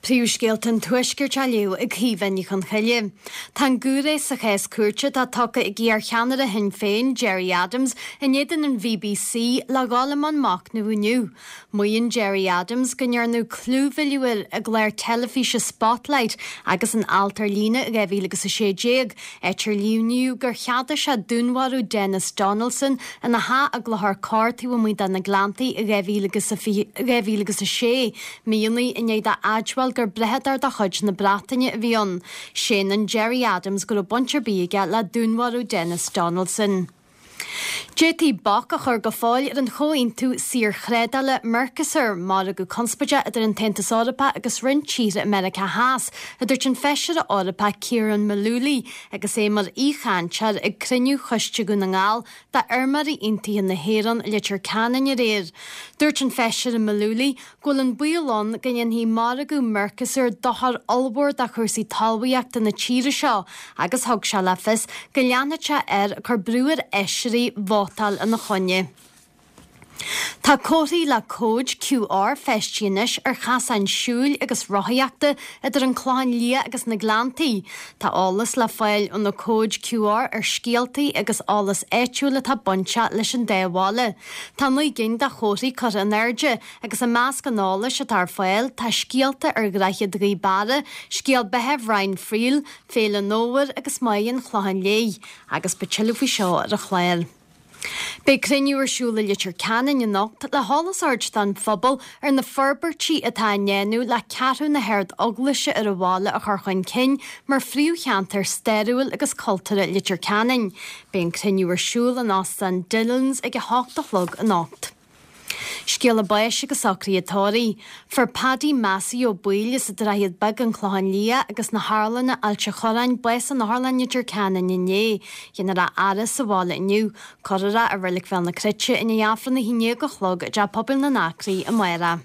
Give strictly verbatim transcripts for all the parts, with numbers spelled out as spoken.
Príomhscéalta an Tuaiscirt á léamh ag Caoimhe Ní Chonchoille. Tá an giúiré sa chás cúirte atá tugtha ag iarcheannaire Shinn Féin, Gerry Adams, in éadan an BBC le dhul i mbun machnaimh inniu. Maíonn Gerry Adams go ndearnadh clúmhilleadh air i gclár teilifíse Spotlight agus in alt ar líne i dhá mhíle agus a sé déag, áit ar líomhnaíodh gur cheadaigh sé dúnmharú Denis Donaldson ina theach i gClochar Corr taobh amuigh de na Gleanntaí i dhá mhíle agus a dhá mhíle agus a sé, míonna i ndiaidh dó a admháil gur brathadóir de chuid na Breataine a bhí ann. Séanann Gerry Adams go raibh baint ar bith aige le dúnmharú Denis Donaldson. D'fhéadfaí bac a chur go fóill ar an chomhaontú saorthrádála Mercosur, margadh conspóideach idir an tAontas Eorpach agus roinnt tíortha i Meiriceá Theas, a dúirt an Feisire Eorpach Ciarán Mullooly agus é mar aoichainteoir ag cruinniú Choiste Dhún na nGall d'Fheirmeoirí Aontaithe na hÉireann i Leitir Ceanainn aréir. Dúirt an Feisire Mullooly go bhfuil an baol ann go ndéanfaidh margadh Mercosur dochar ollmhór do chúrsaí talmhaíochta na tíre seo agus thug sé le fios go leanfaidh sé air ag cur brú ar fheisirí vótáil ina choinne. Tá comharthaí le cóid Q R feistithe anois ar chasáin siúil agus rothaíochta idir an Clochán Liath agus na Gleanntaí. Tá eolas le fáil ó na cóid Q R ar scéaltaí agus eolas áitiúil atá bainteach leis an dá bhaile. Tá naoi gcinn de chomharthaí curtha in airde agus i measc an eolais atá ar fáil tá scéalta ar Dhroichead Ghaoth Beara, scéal beatha Bhrian Friel, Féile an Fhómhair agus Máighe an Chlocháin Léith, agus beidh tuilleadh faoi seo ar an chlár. Beidh cruinniú ar siúl i Leitir Ceanainn anocht le heolas a thabhairt don phobal ar na forbairtí atá á ndéanamh le Ceathrú na hArd-Eaglaise ar an bhaile a chur chun cinn mar phríomhcheantar stairiúil agus cultúrtha Leitir Ceanainn. Beidh an cruinniú ar siúl in Óstán Dillon's ag a hocht a chlog anocht. Scéala báis agus socruithe tórraimh. Fuair Paddy Massey Ó Baoill as an Droichead Beag, An Clochán Liath agus na hArlanna, Ailt an Chorráin, bás in Otharlann Leitir Ceanainn inné. Déanfar a fhaire sa bhaile inniu. Cuirfear é i Reilig Bhéal na Cruite i ndiaidh Aifreann a haon déag a chlog i dTeach Pobail na nAcraí amárach.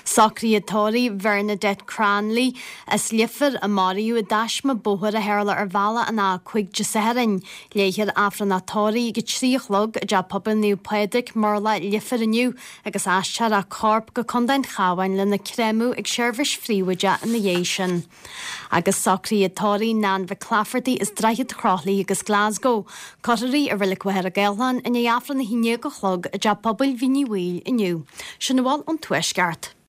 Socruithe tórraimh Bernadette Cranley as Leifear a maraíodh i dtaisme bóthair a tharla ar bhealach an A cúig Dé Sathairn. Léifear Aifreann a tórraimh ag a trí a chlog i dTeach Pobail Naomh Pádraig, Murlach, Leifear inniu agus aistreofar a corp go Contae an Chabháin lena chréamadh ag seirbhís phríobháideach ina dhiaidh sin. Agus socruithe tórraimh Nan McClafferty as Droichead Chroithlí agus Glasgow. Cuirfear í i Reilig Mhachaire Gathlán i ndiaidh Aifreann a haon déag a chlog i dTeach Pobail Mhín Uí Bhaoill inniu. Sin a bhfuil ón Tuaisceart.